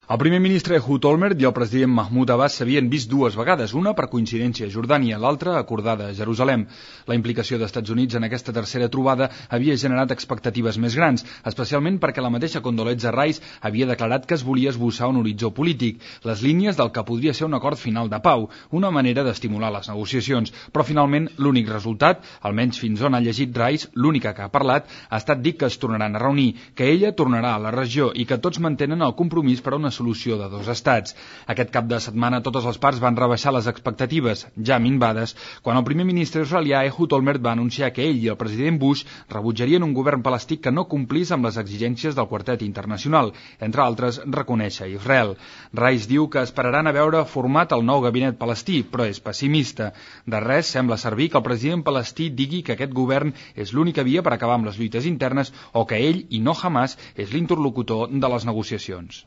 El primer ministre Ehud Olmert i el president Mahmoud Abbas s'havien vist dues vegades, una per coincidència a Jordània, l'altra acordada a Jerusalem. La implicació dels Estats Units en aquesta tercera trobada havia generat expectatives més grans, especialment perquè la mateixa Condoleezza Rice havia declarat que es volia esbossar un horitzó polític, les línies del que podria ser un acord final de pau, una manera d'estimular les negociacions. Però finalment l'únic resultat, almenys fins on ha llegit Rice, l'única que ha parlat, ha estat dir que es tornaran a reunir, que ella tornarà a la regió i que tots mantenen el compromís per a una solució de dos estats. Aquest cap de setmana totes les parts van rebaixar les expectatives, ja minvades, quan el primer ministre israelià Ehud Olmert va anunciar que ell i el president Bush rebutjarien un govern palestí que no complís amb les exigències del quartet internacional, entre altres reconèixer Israel. Rice diu que esperaran a veure format el nou gabinet palestí, però és pessimista. De res sembla servir que el president palestí digui que aquest govern és l'única via per acabar amb les lluites internes o que ell, i no Hamas, és l'interlocutor de les negociacions.